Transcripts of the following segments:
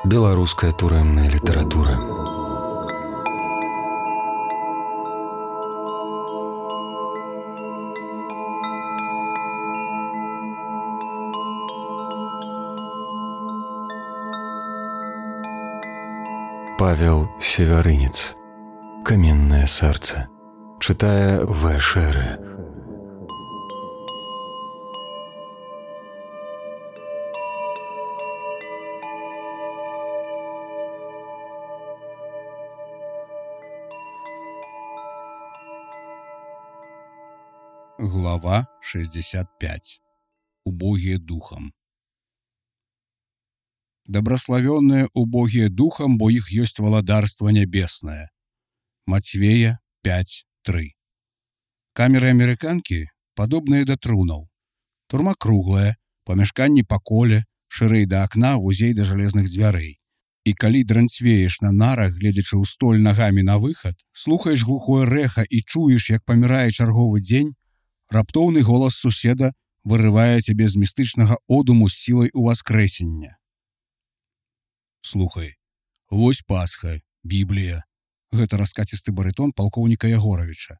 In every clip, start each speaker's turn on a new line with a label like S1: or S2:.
S1: Беларуская турэмная літаратура. Павел Севярынец. «Каменное сердце». Читая В. Шере.
S2: Глава 65. Убогие духом. Добрословенные убогие духом, бо их есть владарство небесное. Матвея 5:3. Камеры американки подобные да трунаў. Турма круглая, памяшканні па коле, шырэй да акна, вузей да жалезных дзвярэй. І калі дранцвееш на нарах, гледзячы ў столь нагамі на выхад, слухаеш глухое рэха і чуеш, як памірае чарговы дзень, раптоўны голас суседа вырывае цябе з містычнага одуму з сілай уваскрэсення. Слухай, вось Пасха, Біблія. Гэта раскацісты барытон палкоўніка Ягоравіча.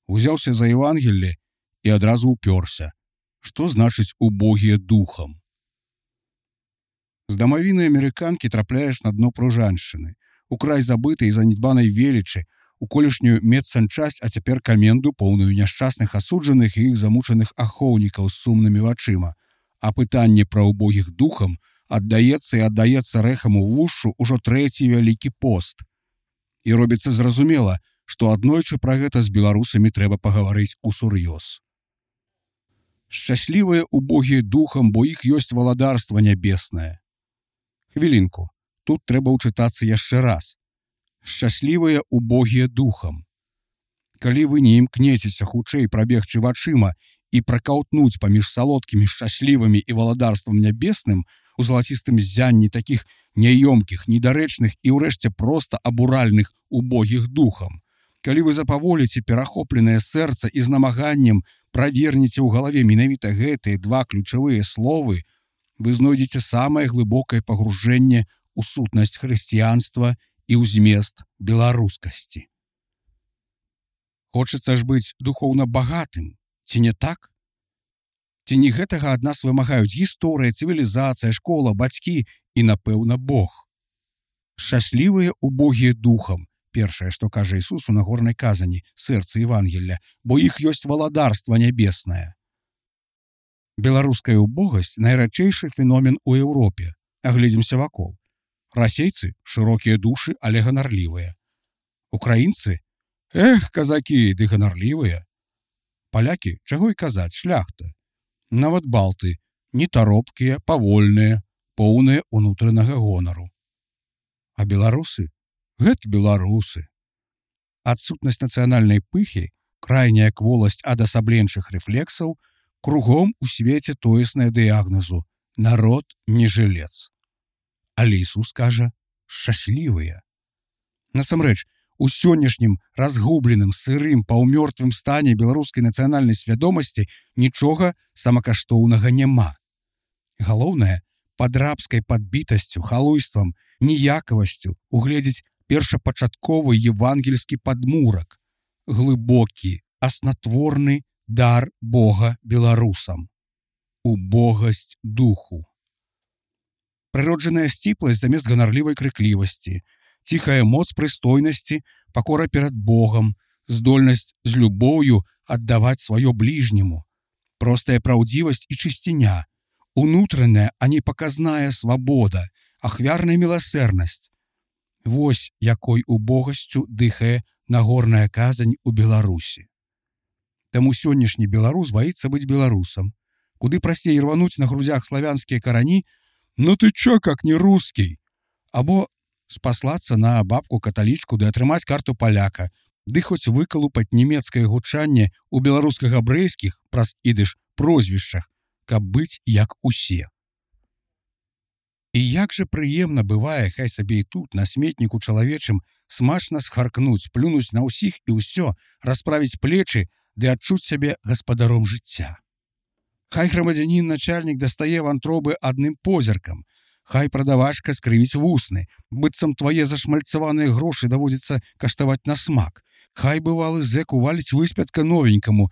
S2: Узяўся за Евангелле і адразу ўпёрся. Што значыць убогія духам? З дамавіны амерыканкі трапляеш на дно пружаншчыны, у край забытай і занядбанай велічы, у колішнюю медсанчасць, а цяпер каменду, поўную няшчасных асуджаных і іх замучаных ахоўнікаў з сумнымі вачыма, а пытанне пра убогіх духам аддаецца і аддаецца рэхам у вушу ўжо трэці вялікі пост. І робіцца зразумела, што аднойчы пра гэта з беларусамі трэба пагаварыць усур'ёз. Шчаслівыя убогія духам, бо іх ёсць владарства нябеснае. Хвілінку, тут трэба ўчытацца яшчэ раз. Шчаслівыя убогія духам. Калі вы не імкнецеся хутчэй прабегчы вачыма і пракаўтнуць паміж салодкімі шчаслівымі і валадарствам нябесным у залацістым ззянні такіх няёмкіх, недарэчных і ўрэшце проста абуральных убогіх духам, калі вы запаволіце перахопленае сэрца і з намаганнем правернеце ў галаве менавіта гэтыя два ключавыя словы, вы знойдзеце самае глыбокае пагружэнне ў сутнасць хрысціянства і ў змест беларускасці. Хочацца ж быць духоўна багатым, ці не так? Ці не гэтага ад нас вымагаюць гісторыя, цывілізацыя, школа, бацькі і, напэўна, Бог? Шчаслівыя убогія духам, першае, што кажа Ісус у нагорнай казані, сэрца Евангелля, бо іх ёсць валадарства нябеснае. Беларуская убогасць найрадчэйшы феномен у Еўропе. Агледзімся вакол. Расейцы шырокія душы, але ганарлівыя. Украінцы, казакі, ды ганарлівыя. Палякі, чаго і казаць, шляхта. Нават балты, нетаропкія, павольныя, поўныя унутранага гонару. А беларусы? Гэта беларусы. Адсутнасць нацыянальнай пыхі, крайняя кволасць адасабленчых рэфлексаў, кругом у свеце тоесная дыягназу «народ не жылец». Але Ісус кажа «шчаслівыя». Насамрэч, у сённяшнім разгубленым, сырым, паўмёртвым стане беларускай нацыянальнай свядомасці нічога самакаштоўнага няма. Галоўнае, пад рабскай падбітасцю, халуйствам, ніякавасцю угледзець першапачатковы евангельскі падмурак, глыбокі, аснатворны дар Бога беларусам. Убогасць духу. Прыроджаная сціпласць замест ганарлівай крыклівасці, ціхая моц прыстойнасці, пакора перад Богам, здольнасць з любоўю аддаваць сваё бліжняму, простая праўдзівасць і чысціня, унутраная, а не паказная свабода, ахвярная міласэрнасць. Вось якой убогасцю дыхае нагорная казань у Беларусі. Таму сённяшні беларус баіцца быць беларусам. Куды прасцей рвануць на грузях славянскія карані, «Ну ты чё, как не русский?» Або спаслацца на бабку-каталічку ды атрымаць карту паляка, ды хоць выкалупаць нямецкае гучанне ў беларуска-габрэйскіх праз ідыш прозвішчах, каб быць як усе. І як жа прыемна бывае, хай сабе і тут, на сметніку чалавечым, смачна схаркнуць, плюнуць на ўсіх і ўсё, расправіць плечы ды адчуць сябе гаспадаром жыцця. Хай грамадзянін начальнік дастае вантробы адным позіркам, Хай прадавачка скрывіць вусны, быццам твае зашмальцаваныя грошы даводзіцца каштаваць на смак. Хай бывалы зэк уваліць выспятка новенькаму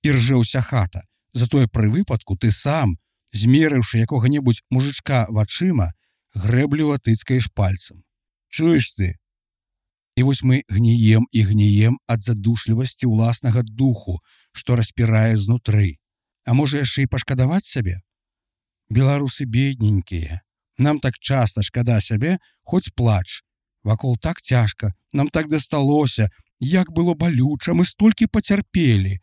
S2: і ржэ ўся хата. Затое пры выпадку ты сам, змерыўшы якога-небудзь мужычка вачыма, грэбліва тыцкаеш пальцам. Чуеш ты? І вось мы гніем і гніем ад задушлівасці ўласнага духу, што распірае знутры. А можа яшчэ і пашкадаваць сябе? Беларусы бедненькія. Нам так часта шкада сябе, хоць плач. Вакол так цяжка, нам так дасталося, як было балюча, мы столькі пацярпелі.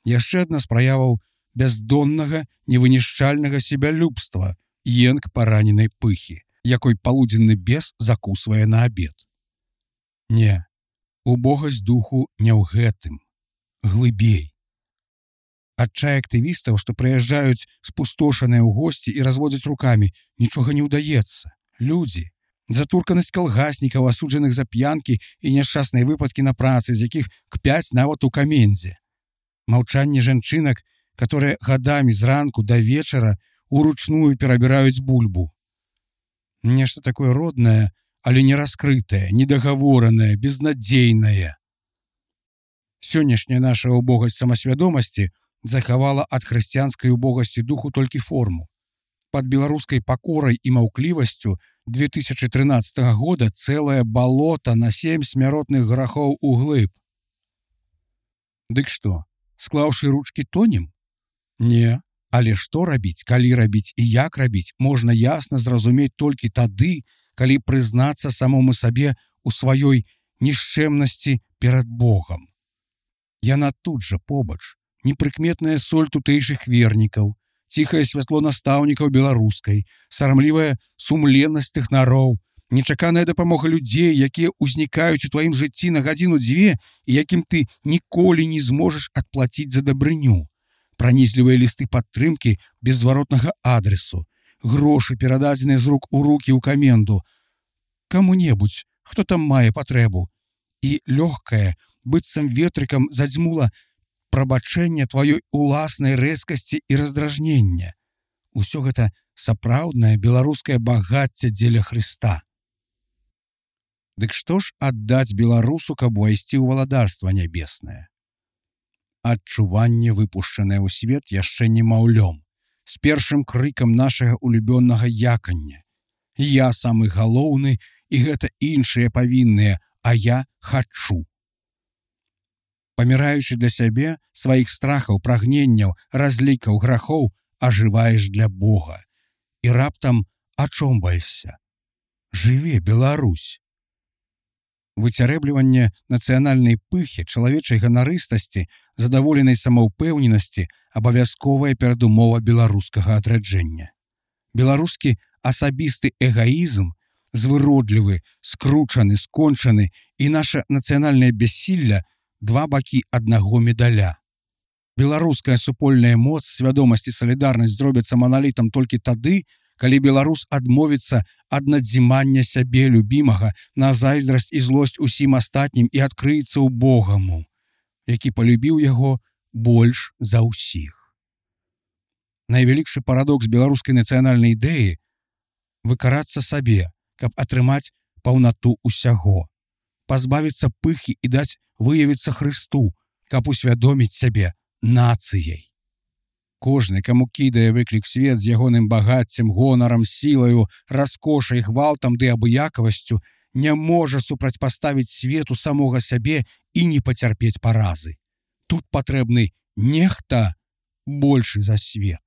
S2: Яшчэ адна з праяваў бяздоннага, невынішчальнага себялюбства, енк параненай пыхі, якой палудзенны бес закусвае на абед. Не, убогасць духу не ў гэтым, глыбей. Адчай актывістаў, што прыязджаюць спустошаныя ў госці і разводзяць рукамі, нічога не ўдаецца. Людзі, затурканасць калгаснікаў, асуджаных за п'янкі і няшчасныя выпадкі на працы, з якіх кпяць нават у камендзе. Маўчанне жанчынак, которые гадамі зранку да вечара уручную перабіраюць бульбу. Нешта такое роднае, але не раскрытае, недагаворанае, безнадзейнае. Сённяшняя наша убогасць самасвядомасці захавала ад хрысціянскай убогасці духу толькі форму. Пад беларускай пакорай і маўклівасцю 2013 года цэлае балота на 7 смяротных грахоў углыб. Дык што, склаўшы ручкі тонем? Не, але што рабіць, калі рабіць і як рабіць, можна ясна зразумець толькі тады, калі прызнацца самому сабе ў сваёй нішчэмнасці перад Богам. Яна тут жа побач, непрыкметная соль тутэйшых вернікаў, ціхае святло настаўнікаў беларускай, сарамлівая сумленнасць тэхнароў, нечаканая дапамога людзей, якія ўзнікаюць у тваім жыцці на гадзіну-дзве і якім ты ніколі не зможаш адплаціць за дабрыню, пранізлівыя лісты падтрымкі без зваротнага адресу, грошы, перададзеныя з рук у рукі ў каменду, каму-небудзь, хто там мае патрэбу, і лёгкае, быццам ветрыкам задзьмула прабачэнне тваёй уласнай рэзкасці і раздражнення. Усё гэта сапраўднае беларускае багацце дзеля Хрыста. Дык што ж аддаць беларусу, каб увайсці ў валадарства нябеснае? Адчуванне, выпушчанае ў свет яшчэ немаўлём, з першым крыкам нашага улюбённага якання. Я самы галоўны, і гэта іншыя павінныя, а я хачу. Паміраючы для сябе, сваіх страхаў, прагненняў, разлікаў, грахоў, ажываеш для Бога. І раптам ачомбаешся. Жыве Беларусь! Выцярэбліванне нацыянальнай пыхі, чалавечай ганарыстасці, задаволенай самаўпэўненасці абавязковая перадумова беларускага адраджэння. Беларускі асабісты эгаізм, звыродлівы, скручаны, скончаны, і наша нацыянальнае бяссілля два бакі аднаго медаля. Беларуская супольная моц, свядомасць і салідарнасць зробяцца маналітам толькі тады, калі беларус адмовіцца ад надзімання сябе любімага на зайздрасць і злосць усім астатнім і адкрыецца ў Богаму, які палюбіў яго больш за ўсіх. Найвялікшы парадокс беларускай нацыянальнай ідэі – выкарацца сабе, каб атрымаць паўнату ўсяго, пазбавіцца пыхі і даць выявіцца Хрысту, каб усвядоміць сябе нацыяй. Кожны, каму кідае выклік свет з ягоным багаццем, гонарам, сілаю, раскошай, гвалтам ды абыякавасцю, не можа супрацьпаставіць свету самога сябе і не пацярпець паразы. Тут патрэбны нехта большы за свет.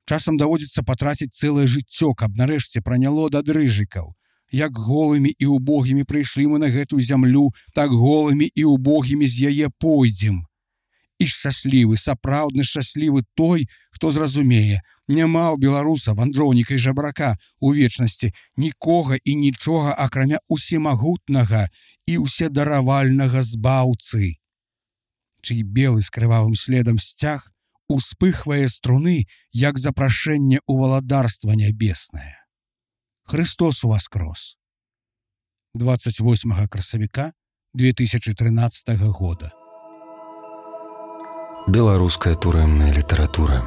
S2: Часам даводзіцца патраціць цэлае жыццё, каб нарэшце праняло да дрыжыкаў. Як голымі і убогімі прыйшлі мы на гэтую зямлю, так голымі і убогімі з яе пойдзем. І шчаслівы, сапраўдны шчаслівы той, хто зразумее, няма ў беларуса, вандроўніка і жабрака у вечнасці нікога і нічога, акрамя усемагутнага і ўседаравальнага збаўцы, чый белы з крывавым следам сцяг успыхвае струны, як запрашэнне ў валадарства нябеснае. Христос уваскрос. 28 красавіка 2013 года.
S1: Беларуская турэмная літаратура.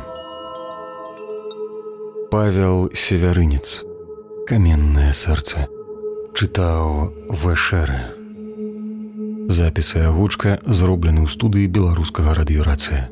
S1: Павел Севярынец. Каменнае сэрца. Чытаў Вэшэрэ. Запісы агучка зроблены ў студыі беларускага радыёрацыя.